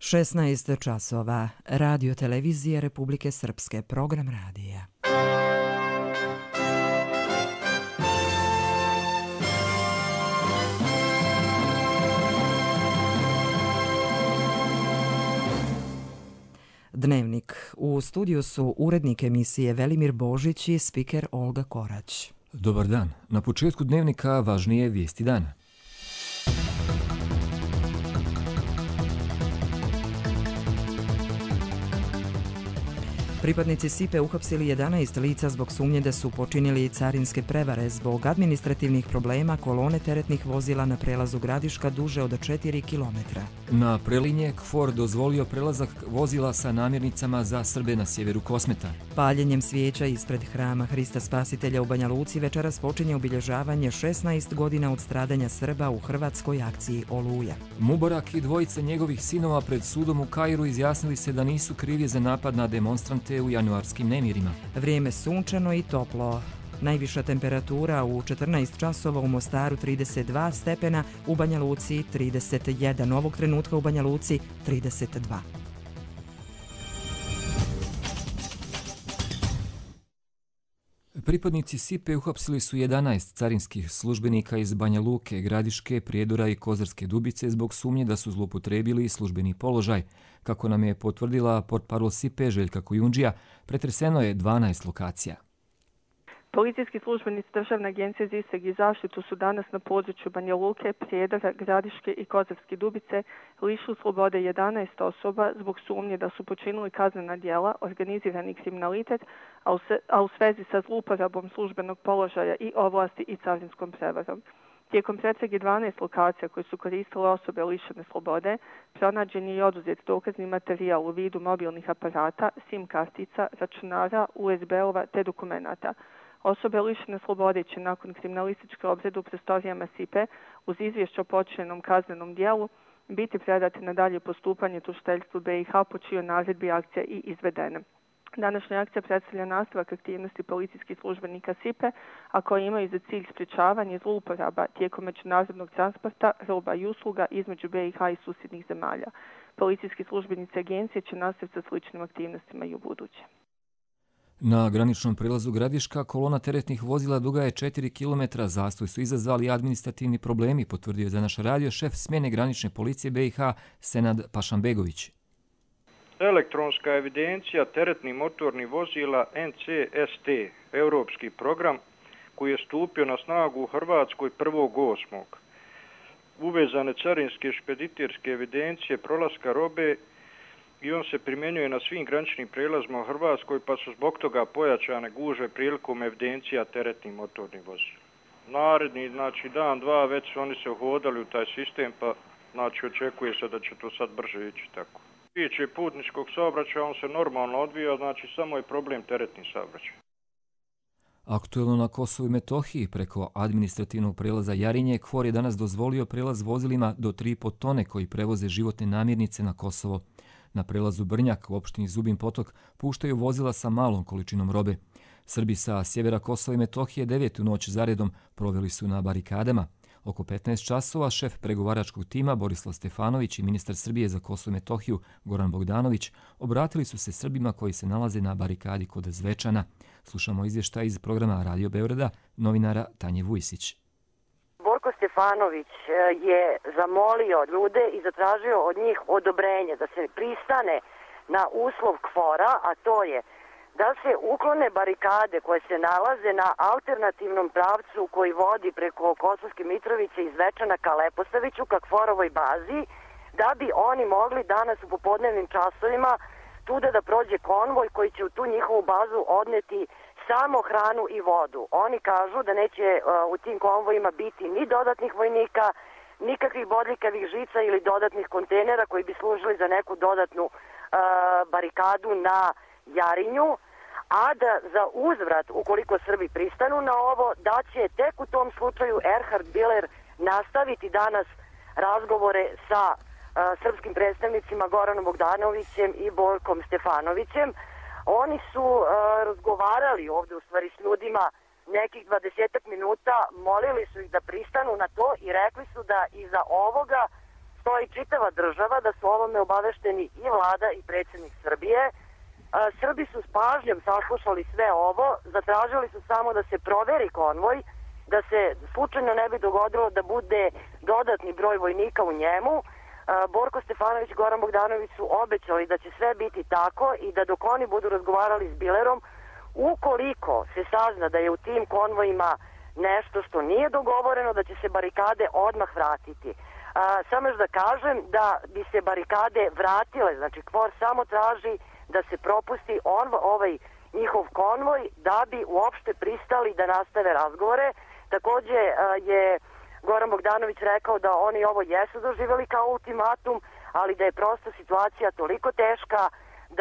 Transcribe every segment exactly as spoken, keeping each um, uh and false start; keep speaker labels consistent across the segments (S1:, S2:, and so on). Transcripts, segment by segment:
S1: šesnaest časova. Radio televizije Republike Srpske. Program radija. Dnevnik. U studiju su urednik emisije Velimir Božić i spiker Olga Korać.
S2: Dobar dan. Na početku dnevnika važnije vijesti dana.
S1: Pripadnici S I P E uhapsili jedanaest lica zbog sumnje da su počinili carinske prevare zbog administrativnih problema kolone teretnih vozila na prelazu Gradiška duže od četiri kilometra.
S2: Na prelinje K F O R dozvolio prelazak vozila sa namirnicama za Srbe na sjeveru Kosmeta.
S1: Paljenjem svijeća ispred hrama Hrista Spasitelja u Banja Luci večeras počinje obilježavanje šesnaest godina od stradanja Srba u hrvatskoj akciji Oluja.
S2: Mubarak i dvojica njegovih sinova pred sudom u Kairu izjasnili se da nisu krivi za napad na demonstrante u januarskim nemirima.
S1: Vrijeme sunčano i toplo. Najviša temperatura u četrnaest časova u Mostaru trideset dva stepena, u Banja Luci trideset jedan. Ovog trenutka u Banja Luci trideset dva.
S2: Pripadnici S I P E uhapsili su jedanaest carinskih službenika iz Banja Luke, Gradiške, Prijedora i Kozarske Dubice zbog sumnje da su zloupotrijebili službeni položaj. Kako nam je potvrdila portparol S I P E Željka Kojundžija, pretreseno je dvanaest lokacija.
S3: Policijski službenici Državne agencije za istrage i zaštitu su danas na području Banja Luke, Prijedora, Gradiške i Kozarske Dubice lišili slobode jedanaest osoba zbog sumnje da su počinili kaznena djela, organizirani kriminalitet, a u, se, a u svezi sa zlouporabom službenog položaja i ovlasti i carinskom prevarom. Tijekom pretrage dvanaest lokacija koje su koristile osobe lišene slobode, pronađen je i oduzet dokazni materijal u vidu mobilnih aparata, SIM kartica, računara, U S B-ova te dokumenata. Osobe lišene slobode će nakon kriminalističke obrade u prostorijama S I P E uz izvješće o počinjenom kaznenom dijelu biti predate na dalje postupanje tužiteljstvu B i H po čijoj naredbi akcija i izvedena. Današnja akcija predstavlja nastavak aktivnosti policijskih službenika S I P E, a koji imaju za cilj sprječavanje zlouporaba tijekom međunarodnog transporta, roba i usluga između B i H i susjednih zemalja. Policijski službenici agencije će nastaviti sa sličnim aktivnostima i u buduće.
S2: Na graničnom prelazu Gradiška kolona teretnih vozila duga je četiri kilometra. Zastoj su izazvali administrativni problemi, potvrdio je za naš radio šef smjene granične policije B i H Senad Pašanbegović.
S4: Elektronska evidencija teretnih motornih vozila N C S T, europski program koji je stupio na snagu u Hrvatskoj prvog osmog Uvezane carinske špediterske evidencije prolaska robe i on se primjenjuje na svim graničnim prijelazima u Hrvatskoj, pa su zbog toga pojačane gužve prilikom evidencija teretnih motornih vozila. Naredni, znači dan, dva, već su oni se uhodali u taj sistem, pa znači očekuje se da će to sad brže ići tako. Tiče putničkog saobraćaja, on se normalno odvija, znači samo je problem teretni saobraćaj.
S2: Aktuelno na Kosovu i Metohiji preko administrativnog prelaza Jarinje, K F O R je danas dozvolio prelaz vozilima do tri i po tone koji prevoze životne namirnice na Kosovo. Na prelazu Brnjak u opštini Zubin Potok puštaju vozila sa malom količinom robe. Srbi sa sjevera Kosova i Metohije devetu noć zaredom proveli su na barikadama. Oko petnaest časova šef pregovaračkog tima Borislav Stefanović i ministar Srbije za Kosovo i Metohiju Goran Bogdanović obratili su se Srbima koji se nalaze na barikadi kod Zvečana. Slušamo izvještaj iz programa Radio Beograda novinara Tanje Vujsić.
S5: Borko Stefanović je zamolio ljude i zatražio od njih odobrenje da se pristane na uslov K F O R-a, a to je da se uklone barikade koje se nalaze na alternativnom pravcu koji vodi preko Kosovske Mitrovice iz Zvečana ka Leposaviću, ka K F O R-ovoj bazi, da bi oni mogli danas u popodnevnim časovima tuda da prođe konvoj koji će u tu njihovu bazu odneti samo hranu i vodu. Oni kažu da neće uh, u tim konvojima biti ni dodatnih vojnika, nikakvih bodljikavih žica ili dodatnih kontejnera koji bi služili za neku dodatnu uh, barikadu na Jarinju, a da za uzvrat, ukoliko Srbi pristanu na ovo, da će tek u tom slučaju Erhard Biller nastaviti danas razgovore sa uh, srpskim predstavnicima Goranom Bogdanovićem i Borkom Stefanovićem. Oni su uh, razgovarali ovdje u stvari s ljudima nekih dvadesetak minuta, molili su ih da pristanu na to i rekli su da iza ovoga stoji čitava država, da su ovome obavešteni i vlada i predsjednik Srbije. Srbi su s pažnjom saslušali sve ovo, zatražili su samo da se proveri konvoj, da se slučajno ne bi dogodilo da bude dodatni broj vojnika u njemu. Borko Stefanović i Goran Bogdanović su obećali da će sve biti tako i da dok oni budu razgovarali s Bilerom, ukoliko se sazna da je u tim konvojima nešto što nije dogovoreno, da će se barikade odmah vratiti. A, samo još da kažem da bi se barikade vratile, znači KFOR samo traži da se propusti on, ovaj njihov konvoj da bi uopšte pristali da nastave razgovore. Takođe a, je Goran Bogdanović rekao da oni ovo jesu doživjeli kao ultimatum, ali da je prosto situacija toliko teška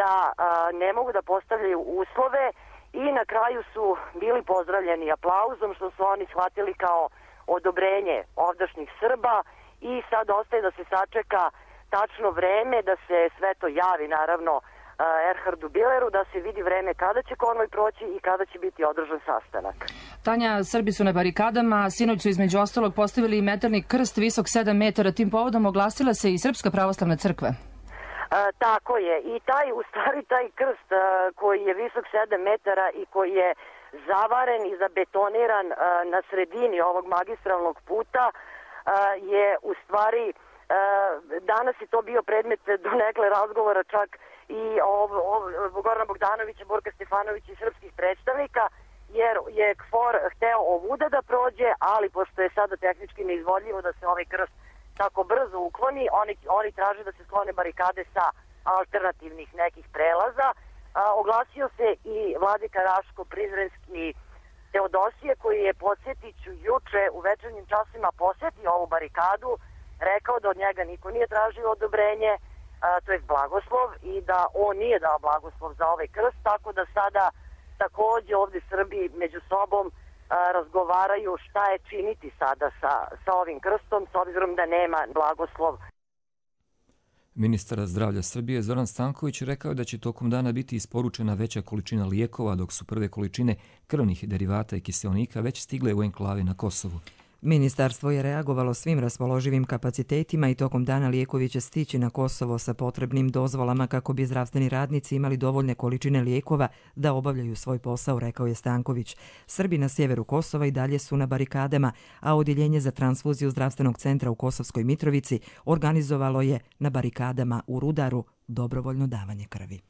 S5: da a, ne mogu da postavljaju uslove i na kraju su bili pozdravljeni aplauzom što su oni shvatili kao odobrenje ovdašnjih Srba i sad ostaje da se sačeka tačno vreme, da se sve to javi naravno Erhardu Bileru, da se vidi vreme kada će konvoj proći i kada će biti održan sastanak.
S6: Tanja, Srbi su na barikadama, sinoć su između ostalog postavili metalni krst visok sedam metara, tim povodom oglasila se i Srpska pravoslavna crkva.
S5: E, tako je, i taj, u stvari taj krst a, koji je visok sedam metara i koji je zavaren i zabetoniran a, na sredini ovog magistralnog puta a, je u stvari, a, danas je to bio predmet donekle razgovora čak i ov, ov, Gorana Bogdanovića, Borka Stefanovića i srpskih predstavnika, jer je KFOR hteo ovuda da prođe, ali pošto je sada tehnički neizvodljivo da se ovaj krst tako brzo ukloni, oni, oni traže da se sklone barikade sa alternativnih nekih prelaza. A, oglasio se i vladika Raško-Prizrenski Teodosije, koji je, podsjetit ću, juče u večernjim časima posjetio ovu barikadu, rekao da od njega niko nije tražio odobrenje, a, to je blagoslov, i da on nije dao blagoslov za ovaj krst, tako da sada takođe ovdje Srbi među sobom a, razgovaraju šta je činiti sada sa, sa ovim krstom, s obzirom da nema blagoslov.
S2: Ministar zdravlja Srbije Zoran Stanković rekao da će tokom dana biti isporučena veća količina lijekova, dok su prve količine krvnih derivata i kiseonika već stigle u enklave na Kosovu.
S1: Ministarstvo je reagovalo svim raspoloživim kapacitetima i tokom dana lijekovi će stići na Kosovo sa potrebnim dozvolama kako bi zdravstveni radnici imali dovoljne količine lijekova da obavljaju svoj posao, rekao je Stanković. Srbi na sjeveru Kosova i dalje su na barikadama, a odjeljenje za transfuziju zdravstvenog centra u Kosovskoj Mitrovici organizovalo je na barikadama u Rudaru dobrovoljno davanje krvi.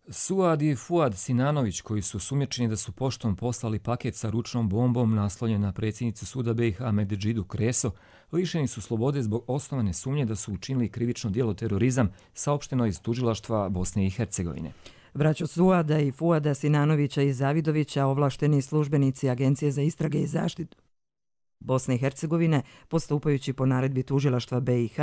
S2: Suad i Fuad Sinanović, koji su sumnjičeni da su poštom poslali paket sa ručnom bombom naslonjen na predsjednicu suda B iH Medžidiju Kreso, lišeni su slobode zbog osnovane sumnje da su učinili krivično djelo terorizam, saopšteno iz tužilaštva Bosne i Hercegovine.
S1: Braćo Suada i Fuada Sinanovića i Zavidovića, ovlašteni službenici Agencije za istrage i zaštitu Bosne i Hercegovine, postupajući po naredbi tužilaštva B iH,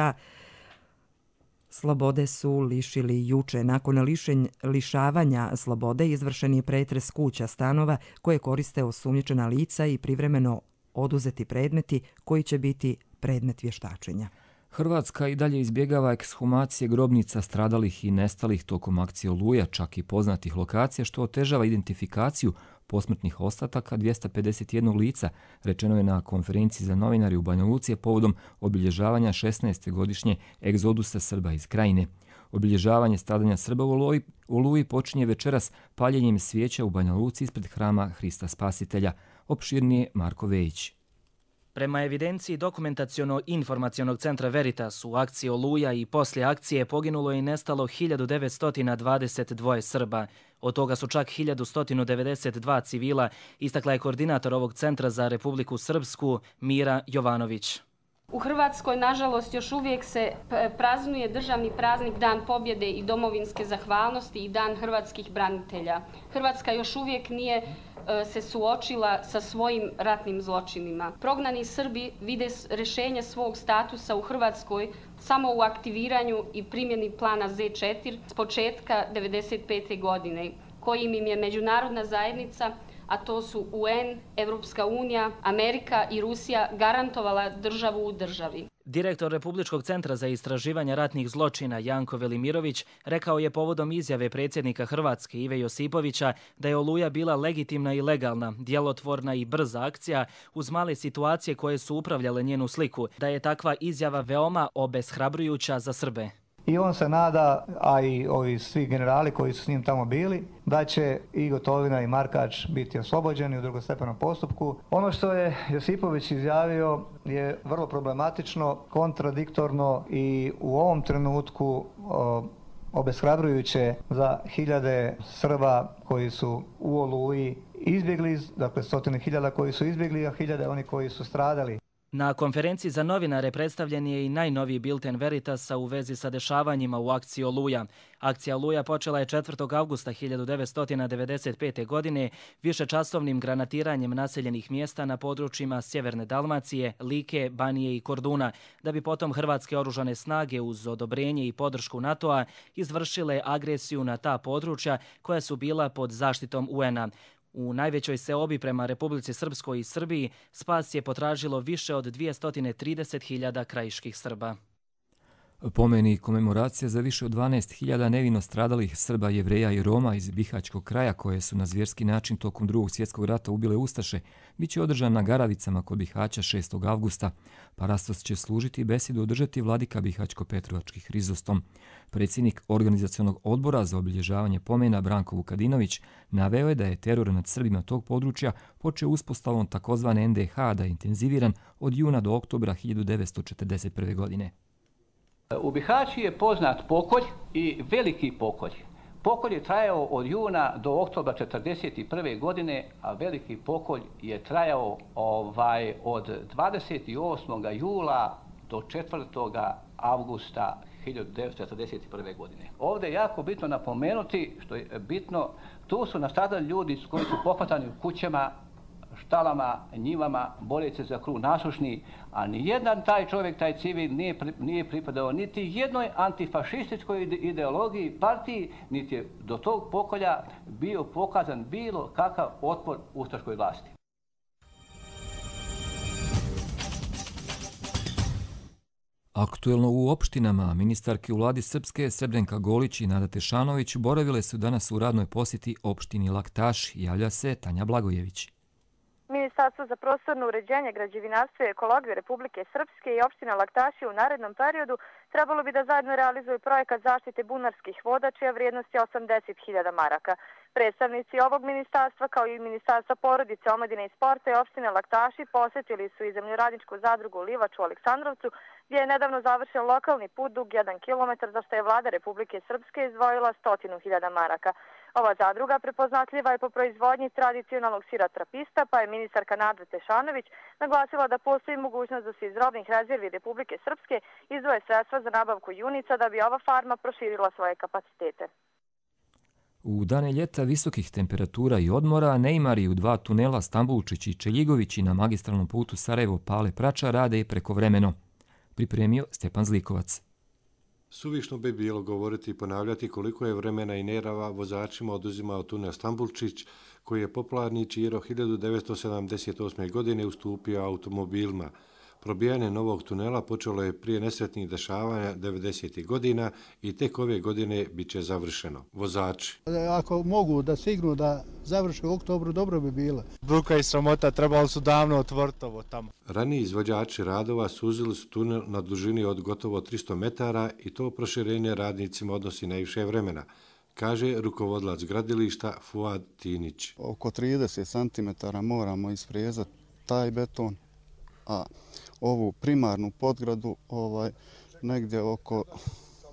S1: slobode su lišili juče. Nakon lišenj, lišavanja slobode izvršen je pretres kuća, stanova koje koriste osumnjičena lica i privremeno oduzeti predmeti koji će biti predmet vještačenja.
S2: Hrvatska i dalje izbjegava ekshumacije grobnica stradalih i nestalih tokom akcije Oluja, čak i poznatih lokacija, što otežava identifikaciju posmrtnih ostataka dvjesto pedeset jedan lica, rečeno je na konferenciji za novinari u Banja Luci povodom obilježavanja šesnaeste godišnje egzodusa Srba iz Krajine. Obilježavanje stradanja Srba u Oluji, Oluji počinje večeras paljenjem svijeća u Banja Luci ispred hrama Hrista Spasitelja. Opširnije Marko Vejić.
S7: Prema evidenciji dokumentaciono-informacionog centra Veritas, u akciji Oluja i poslije akcije poginulo i nestalo hiljadu devetsto dvadeset dva Srba. Od toga su čak hiljadu sto devedeset dva civila, istakla je koordinator ovog centra za Republiku Srpsku Mira Jovanović.
S8: U Hrvatskoj, nažalost, još uvijek se praznuje državni praznik Dan pobjede i domovinske zahvalnosti i Dan hrvatskih branitelja. Hrvatska još uvijek nije se suočila sa svojim ratnim zločinima. Prognani Srbi vide rješenje svog statusa u Hrvatskoj samo u aktiviranju i primjeni plana Z četiri s početka devedeset pete godine, kojim im je međunarodna zajednica, a to su U N, Evropska unija, Amerika i Rusija, garantovala državu u državi.
S7: Direktor Republičkog centra za istraživanje ratnih zločina Janko Velimirović rekao je povodom izjave predsjednika Hrvatske Ive Josipovića da je Oluja bila legitimna i legalna, djelotvorna i brza akcija uz male situacije koje su upravljale njenu sliku, da je takva izjava veoma obeshrabrujuća za Srbe.
S9: I on se nada, a i ovi svi generali koji su s njim tamo bili, da će i Gotovina i Markač biti oslobođeni u drugostepenom postupku. Ono što je Josipović izjavio je vrlo problematično, kontradiktorno i u ovom trenutku o, obeshrabrujuće za hiljade Srba koji su u Oluji izbjegli, dakle stotine hiljada koji su izbjegli, a hiljade oni koji su stradali.
S7: Na konferenciji za novinare predstavljen je i najnoviji bilten Veritasa u vezi sa dešavanjima u akciji Oluja. Akcija Oluja počela je četvrtog avgusta hiljadu devetsto devedeset pete. godine višečasovnim granatiranjem naseljenih mjesta na područjima Sjeverne Dalmacije, Like, Banije i Korduna, da bi potom hrvatske oružane snage uz odobrenje i podršku NATO-a izvršile agresiju na ta područja koja su bila pod zaštitom U N-a. U najvećoj seobi prema Republici Srpskoj i Srbiji spas je potražilo više od dvjesto trideset hiljada krajiških Srba.
S2: Pomeni komemoracija za više od dvanaest hiljada nevino stradalih Srba, Jevreja i Roma iz Bihaćkog kraja koje su na zvjerski način tokom drugog svjetskog rata ubile ustaše, bit će održan na Garavicama kod Bihaća šestog avgusta. Parastos će služiti i besedu održati vladika Bihaćko-Petrovački Hrizostom. Predsjednik organizacionog odbora za obilježavanje pomena Branko Vukadinović naveo je da je teror nad Srbima tog područja počeo uspostavom takozvane N D H da je intenziviran od juna do oktobra hiljadu devetsto četrdeset prve. godine.
S10: U Bihaći je poznat pokolj i veliki pokolj. Pokolj je trajao od juna do oktobra četrdeset prve. godine, a veliki pokolj je trajao ovaj, od dvadeset osmog jula do četvrtog avgusta hiljadu devetsto četrdeset prve. godine. Ovdje je jako bitno napomenuti, što je bitno, tu su nastradali ljudi koji su pohvatani u kućama, štalama, njivama, boreći za kruh nasušni, a nijedan taj čovjek, taj civil nije, nije pripadao niti jednoj antifašističkoj ideologiji, partiji, niti je do tog pokolja bio pokazan bilo kakav otpor ustaškoj vlasti.
S2: Aktuelno u opštinama ministarke u vladi Srpske Srebrenka Golić i Nada Tešanović boravile su danas u radnoj posjeti opštini Laktaš, javlja se Tanja Blagojević.
S11: Ministarstvo za prostorno uređenje, građevinarstvo i ekologiju Republike Srpske i opština Laktaši u narednom periodu trebalo bi da zajedno realizuju projekat zaštite bunarskih voda čija vrijednost je osamdeset hiljada maraka. Predstavnici ovog ministarstva kao i Ministarstva porodice, omladine i sporta i opštine Laktaši posjetili su i zemljoradničku zadrugu Livač u Aleksandrovcu gdje je nedavno završen lokalni put dug jedan kilometar za što je vlada Republike Srpske izdvojila stotinu hiljada maraka. Ova zadruga prepoznatljiva je po proizvodnji tradicionalnog sira trapista, pa je ministarka Nada Tešanović naglasila da postoji mogućnost da se iz robnih rezervi Republike Srpske izdvoje sredstva za nabavku junica da bi ova farma proširila svoje kapacitete.
S2: U dane ljeta visokih temperatura i odmora neimari u dva tunela Stambulčić i Čeljigovići na magistralnom putu Sarajevo-Pale-Prača rade i prekovremeno. Pripremio Stjepan Zlikovac.
S12: Suvišno bi bilo govoriti i ponavljati koliko je vremena i nerava vozačima oduzimao tunel Stambulčić, koji je popularni Čiro hiljadu devetsto sedamdeset osme. godine ustupio automobilima. Probijanje novog tunela počelo je prije nesretnih dešavanja devedesetih godina i tek ove godine bit će završeno. Vozači.
S13: Ako mogu da stignu da završe u oktobru, dobro bi bilo.
S14: Bruka i sramota, trebalo su davno otvoriti ovo tamo.
S12: Raniji izvođači radova suzili su tunel na dužini od gotovo tristo metara i to proširenje radnicima odnosi najviše vremena, kaže rukovodilac gradilišta Fuad Tinić.
S13: Oko trideset centimetara moramo isprezati taj beton, a ovu primarnu podgradu ovaj, negdje oko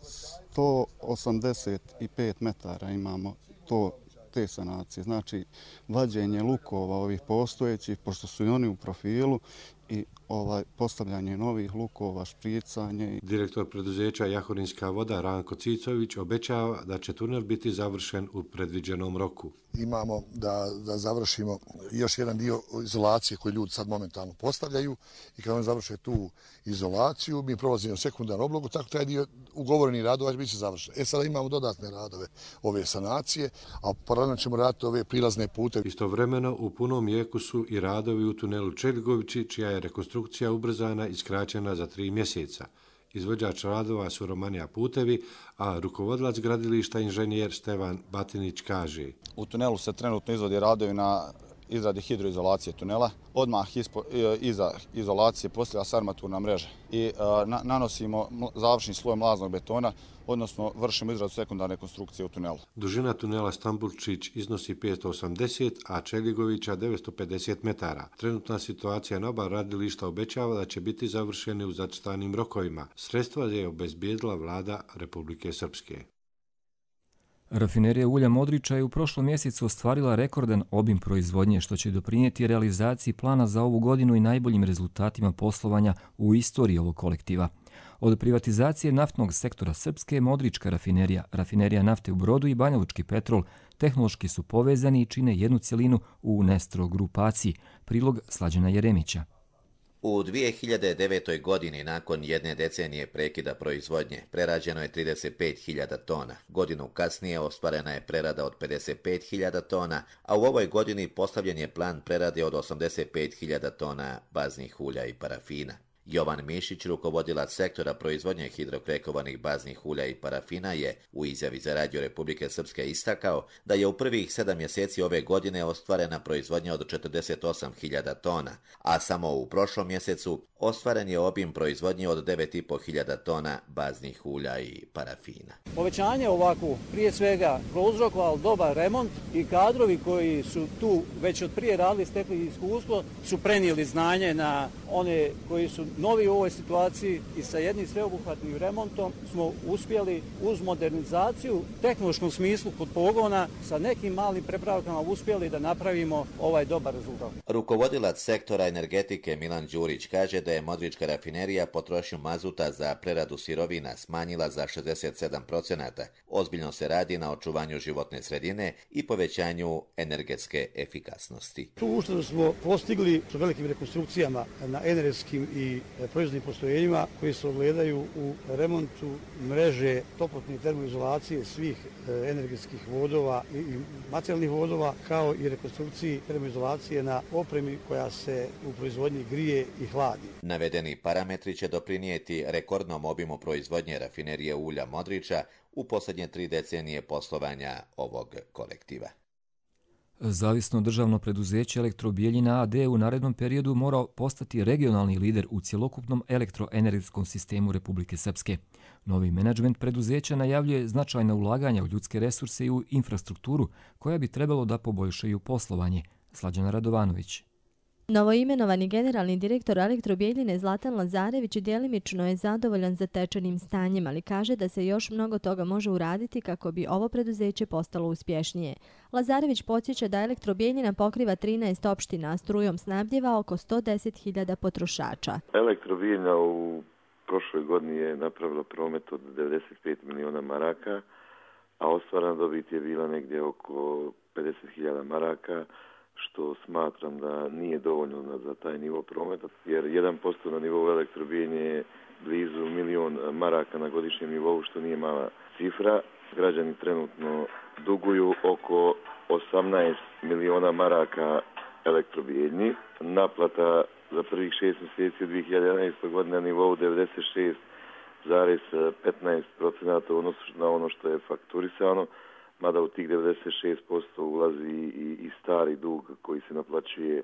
S13: sto osamdeset pet metara imamo to, te sanacije. Znači, vađenje lukova ovih postojećih, pošto su i oni u profilu, i ovaj postavljanje novih lukova, špricanje.
S12: Direktor preduzeća Jahorinska voda Ranko Cicović obećava da će tunel biti završen u predviđenom roku.
S15: Imamo da, da završimo još jedan dio izolacije koji ljudi sad momentalno postavljaju i kad oni završe tu izolaciju, mi prolazimo sekundarnu oblogu, tako taj dio ugovoreni radova će biti završen. E sada imamo dodatne radove ove sanacije, a paralelno ćemo raditi ove prilazne pute.
S12: Istovremeno u punom jeku su i radovi u tunelu Čeligovići, čija je rekonstrukcija ubrzana i skraćena za tri mjeseca. Izvođač radova su Romanija Putevi, a rukovodilac gradilišta inženjer Stevan Batinić kaže:
S16: U tunelu se trenutno izvodi radovi na izradi hidroizolacije tunela. Odmah ispo, iza izolacije postavlja se armaturna mreža i na, nanosimo završni sloj mlaznog betona, odnosno vršimo izradu sekundarne konstrukcije u tunelu.
S12: Dužina tunela Stambulčić iznosi petsto osamdeset, a Čeligovića devetsto pedeset metara. Trenutna situacija na oba radilišta obećava da će biti završeni u zacrtanim rokovima. Sredstva je obezbijedila vlada Republike Srpske.
S2: Rafinerija ulja Modriča je u prošlom mjesecu ostvarila rekordan obim proizvodnje, što će doprinijeti realizaciji plana za ovu godinu i najboljim rezultatima poslovanja u istoriji ovog kolektiva. Od privatizacije naftnog sektora Srpske, Modrička rafinerija, rafinerija nafte u Brodu i Banjalučki petrol tehnološki su povezani i čine jednu cjelinu u Nestro grupaciji. Prilog Slađana Jeremića.
S17: U dvije hiljade devetoj. godini, nakon jedne decenije prekida proizvodnje, prerađeno je trideset pet hiljada tona. Godinu kasnije ostvarena je prerada od pedeset pet hiljada tona, a u ovoj godini postavljen je plan prerade od osamdeset pet hiljada tona baznih ulja i parafina. Jovan Mišić, rukovodilac sektora proizvodnje hidrokrekovanih baznih ulja i parafina, je u izjavi za Radio Republike Srpske istakao da je u prvih sedam mjeseci ove godine ostvarena proizvodnja od četrdeset osam hiljada tona, a samo u prošlom mjesecu ostvaren je obim proizvodnje od devet i po hiljada tona baznih ulja i parafina.
S18: Povećanje ovako prije svega prouzrokovalo dobar remont i kadrovi koji su tu već od prije radili, stekli iskustvo, su prenijeli znanje na one koji su novi u ovoj situaciji i sa jednim sveobuhvatnim remontom smo uspjeli uz modernizaciju u tehnološkom smislu kod pogona sa nekim malim prepravkama uspjeli da napravimo ovaj dobar rezultat.
S17: Rukovodilac sektora energetike Milan Đurić kaže da je Modrička rafinerija potrošnju mazuta za preradu sirovina smanjila za šezdeset sedam procenata. Ozbiljno se radi na očuvanju životne sredine i povećanju energetske efikasnosti.
S19: Tu uštedu smo postigli sa velikim rekonstrukcijama na energetskim i proizvodnim postrojenjima koji se ogledaju u remontu mreže toplotne i termoizolacije svih energetskih vodova i materijalnih vodova, kao i rekonstrukciji termoizolacije na opremi koja se u proizvodnji grije i hladi.
S17: Navedeni parametri će doprinijeti rekordnom obimu proizvodnje rafinerije ulja Modriča u posljednje tri decenije poslovanja ovog kolektiva.
S2: Zavisno državno preduzeće Elektrobijeljina a d u narednom periodu mora postati regionalni lider u cjelokupnom elektroenergetskom sistemu Republike Srpske. Novi menadžment preduzeća najavljuje značajna ulaganja u ljudske resurse i u infrastrukturu koja bi trebalo da poboljšaju poslovanje. Slađana Radovanović.
S20: Novoimenovani generalni direktor Elektrobijeljine Zlatan Lazarević djelimično je zadovoljan zatečenim stanjem, ali kaže da se još mnogo toga može uraditi kako bi ovo preduzeće postalo uspješnije. Lazarević podsjeća da Elektrobijeljina pokriva trinaest opština, a strujom snabdjeva oko sto deset hiljada potrošača.
S21: Elektrobijeljina u prošloj godini je napravila promet od devedeset pet miliona maraka, a ostvarena dobit je bila negdje oko pedeset hiljada maraka, što smatram da nije dovoljno za taj nivo prometa, jer jedan posto na nivou Elektrobijeljine je blizu milion maraka na godišnjem nivou, što nije mala cifra. Građani trenutno duguju oko osamnaest miliona maraka Elektrobijeljini. Naplata za prvih šest mjeseci dvije hiljade jedanaeste. godine na nivou devedeset šest zarez petnaest procenata u odnosu na ono što je fakturisano, mada u tih devedeset šest posto ulazi i, i stari dug koji se naplaćuje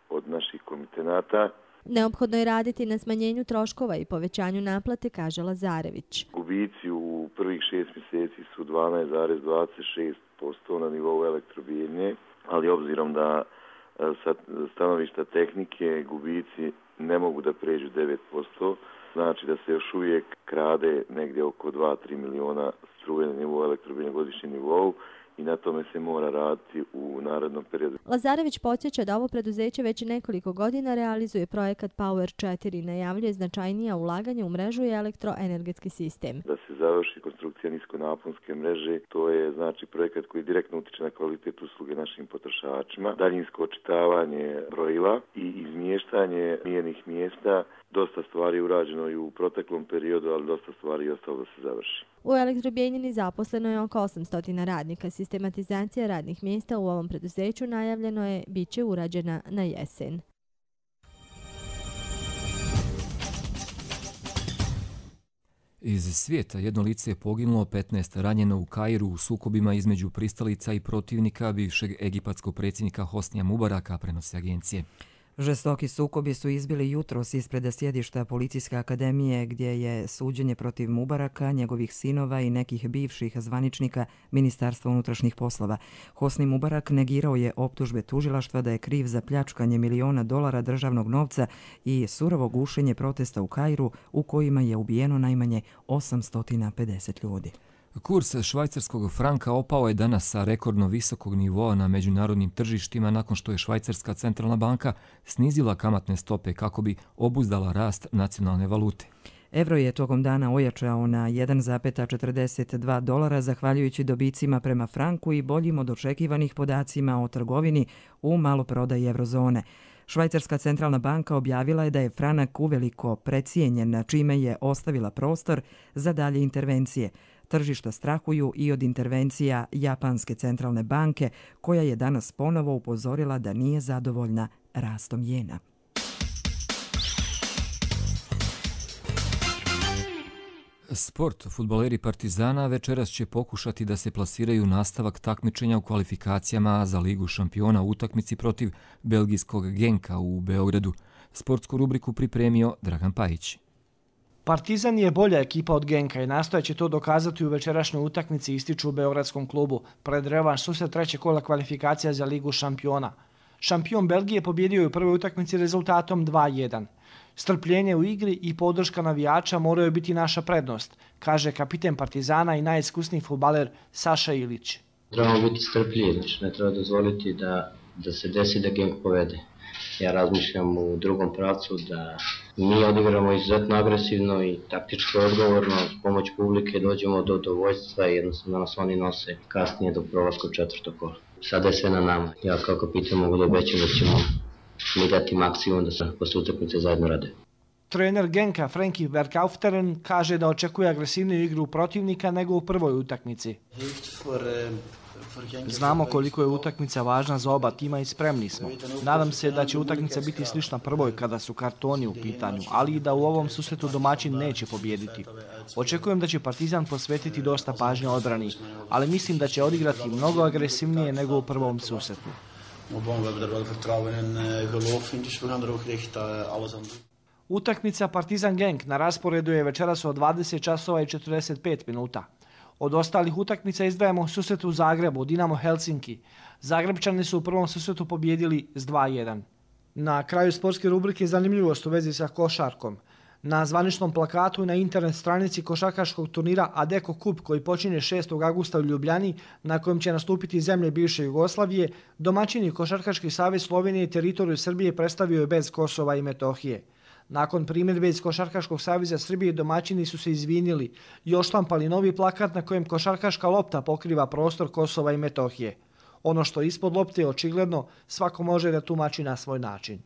S21: od naših komitenata.
S20: Neophodno je raditi na smanjenju troškova i povećanju naplate, kaže Lazarević.
S21: Gubici u prvih šest mjeseci su dvanaest zarez dvadeset šest posto na nivou Elektrobijeljine, ali obzirom da sa stanovišta tehnike gubici ne mogu da pređu devet posto, znači da se još uvijek krade negdje oko dva do tri miliona struje na nivou Elektrobijeljine godišnjem nivou i na tome se mora raditi u narednom periodu.
S20: Lazarević podsjeća da ovo preduzeće već nekoliko godina realizuje projekat Power četiri i najavljuje značajnija ulaganja u mrežu i elektroenergetski sistem.
S21: Da se završi konstrukcija niskonaponske mreže, to je znači projekat koji direktno utiče na kvalitet usluge našim potrošačima, daljinsko očitavanje brojila i izmještanje mjernih mjesta. Dosta stvari je urađeno i u proteklom periodu, ali dosta stvari je ostalo da se završi.
S20: U Elektrobijeljini zaposleno je oko osamsto radnika. Sistematizacija radnih mjesta u ovom preduzeću najavljeno je bit će urađena na jesen.
S2: Iz svijeta jedno lice je poginulo, petnaest ranjeno u Kairu u sukobima između pristalica i protivnika bivšeg egipatskog predsjednika Hosnija Mubaraka, prenose agencije.
S1: Žestoki sukobi su izbili jutros ispred sjedišta Policijske akademije gdje je suđenje protiv Mubaraka, njegovih sinova i nekih bivših zvaničnika Ministarstva unutrašnjih poslova. Hosni Mubarak negirao je optužbe tužilaštva da je kriv za pljačkanje miliona dolara državnog novca i surovo gušenje protesta u Kairu u kojima je ubijeno najmanje osamsto pedeset ljudi.
S2: Kurs švajcarskog franka opao je danas sa rekordno visokog nivoa na međunarodnim tržištima nakon što je Švajcarska centralna banka snizila kamatne stope kako bi obuzdala rast nacionalne valute.
S1: Evro je tokom dana ojačao na jedan zarez četrdeset dva dolara zahvaljujući dobicima prema franku i boljim od očekivanih podacima o trgovini u maloprodaji eurozone. Švajcarska centralna banka objavila je da je franak uveliko precijenjen, čime je ostavila prostor za dalje intervencije. Tržišta strahuju i od intervencija Japanske centralne banke, koja je danas ponovo upozorila da nije zadovoljna rastom jena.
S2: Sport. Fudbaleri Partizana večeras će pokušati da se plasiraju nastavak takmičenja u kvalifikacijama za Ligu šampiona u utakmici protiv belgijskog Genka u Beogradu. Sportsku rubriku pripremio Dragan Pajić.
S3: Partizan je bolja ekipa od Genka i nastojeće to dokazati u večerašnjoj utakmici, ističu u beogradskom klubu, pred revanš susret treće kola kvalifikacija za Ligu šampiona. Šampion Belgije pobjedio je u prvoj utakmici rezultatom dva jedan. Strpljenje u igri i podrška navijača moraju biti naša prednost, kaže kapiten Partizana i najiskusniji fudbaler Saša Ilić.
S22: Trebamo biti strpljivi, znači ne treba dozvoliti da, da se desi da Genk povede. Ja razmišljam u drugom pravcu da mi odigramo izuzetno agresivno i taktički odgovorno, s pomoć publike dođemo do dovoljstva i jednostavno nas oni nose kasnije do prolaska u četvrto kola. Sada je sve na nama. Ja kao kapitan mogu da obećam da ćemo mi dati maksimum da se posle utakmice zajedno rade.
S3: Trener Genka Frankie Verkaufteren kaže da očekuje agresivniju igru protivnika nego u prvoj utakmici. Znamo koliko je utakmica važna za oba tima i spremni smo. Nadam se da će utakmica biti slična prvoj kada su kartoni u pitanju, ali i da u ovom susretu domaćin neće pobjediti. Očekujem da će Partizan posvetiti dosta pažnje odbrani, ali mislim da će odigrati mnogo agresivnije nego u prvom susretu. Utakmica Partizan Genk na rasporedu je večeras od dvadeset časova i četrdeset pet minuta. Od ostalih utakmica izdvajamo susret u Zagrebu, Dinamo Helsinki. Zagrebčani su u prvom susretu pobjedili s dva jedan. Na kraju sportske rubrike zanimljivost u vezi sa košarkom. Na zvaničnom plakatu na internet stranici košarkaškog turnira Adeko Cup koji počinje šestog avgusta u Ljubljani, na kojem će nastupiti zemlje bivše Jugoslavije, domaćini Košarkaški savez Slovenije teritoriju Srbije predstavio je bez Kosova i Metohije. Nakon primjedbe iz Košarkaškog saveza Srbije domaćini su se izvinili i oštampali novi plakat na kojem košarkaška lopta pokriva prostor Kosova i Metohije. Ono što je ispod lopte je očigledno, svako može da tumači na svoj način.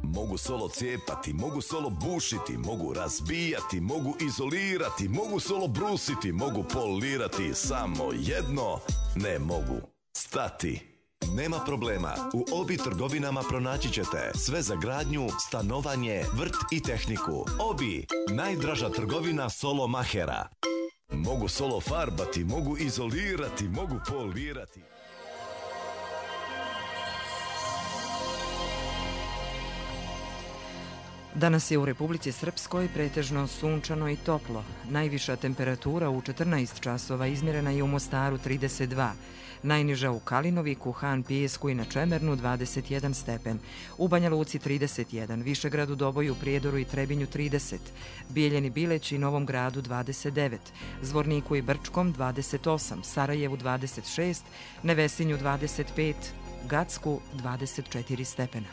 S23: Mogu solo cijepati, mogu solo bušiti, mogu razbijati, mogu izolirati, mogu solo brusiti, mogu polirati, samo jedno ne mogu. Stati. Nema problema, u Obi trgovinama pronaći ćete sve za gradnju, stanovanje, vrt i tehniku. Obi, najdraža trgovina solo mahera. Mogu solo farbati, mogu izolirati, mogu polirati.
S1: Danas je u Republici Srpskoj pretežno sunčano i toplo. Najviša temperatura u četrnaest časova izmjerena je u Mostaru trideset dva, najniža u Kalinoviku, Han Pijesku i na Čemernu dvadeset jedan stepen, u Banja Luci trideset jedan, Višegradu, Doboju, Prijedoru i Trebinju trideset, Bijeljeni, Bileći i Novom Gradu dvadeset devet, Zvorniku i Brčkom dvadeset osam, Sarajevu dvadeset šest, Nevesinju dvadeset pet, Gacku dvadeset četiri stepena.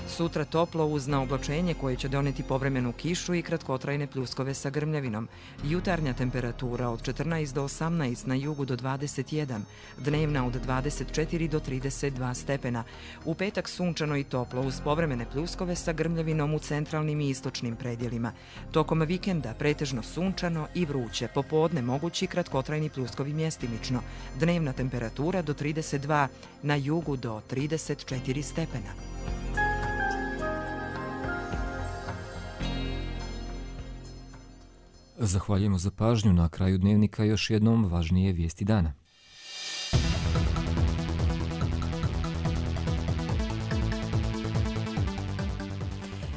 S1: Sutra toplo uz naoblačenje koje će doneti povremenu kišu i kratkotrajne pljuskove sa grmljavinom. Jutarnja temperatura od četrnaest do osamnaest, na jugu do dvadeset jedan, dnevna od dvadeset četiri do trideset dva stepena. U petak sunčano i toplo uz povremene pljuskove sa grmljavinom u centralnim i istočnim predjelima. Tokom vikenda pretežno sunčano i vruće, popodne mogući kratkotrajni pljuskovi mjestimično. Dnevna temperatura do trideset dva, na jugu do trideset četiri stepena.
S2: Zahvaljujemo za pažnju. Na kraju dnevnika još jednom važnije vijesti dana.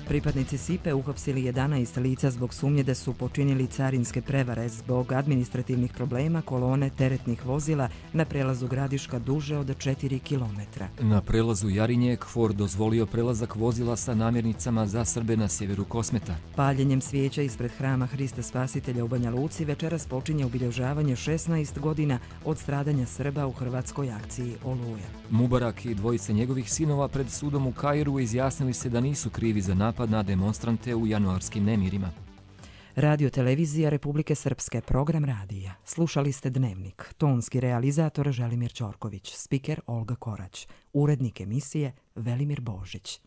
S1: Pripadnici Sipe uhapsili jedanaest lica zbog sumnje da su počinili carinske prevare zbog administrativnih problema kolone teretnih vozila na prelazu Gradiška duže od četiri kilometra.
S2: Na prelazu Jarinje KFOR dozvolio prelazak vozila sa namirnicama za Srbe na sjeveru Kosmeta.
S1: Paljenjem svijeća ispred hrama Hrista Spasitelja u Banja Luci večeras počinje obilježavanje šesnaest godina od stradanja Srba u hrvatskoj akciji Oluja.
S2: Mubarak i dvojice njegovih sinova pred sudom u Kairu izjasnili se da nisu krivi za napad na demonstrante u januarskim nemirima.
S1: Radio televizija Republike Srpske, program radija. Slušali ste Dnevnik. Tonski realizator Želimir Ćorković, spiker Olga Korać, urednik emisije Velimir Božić.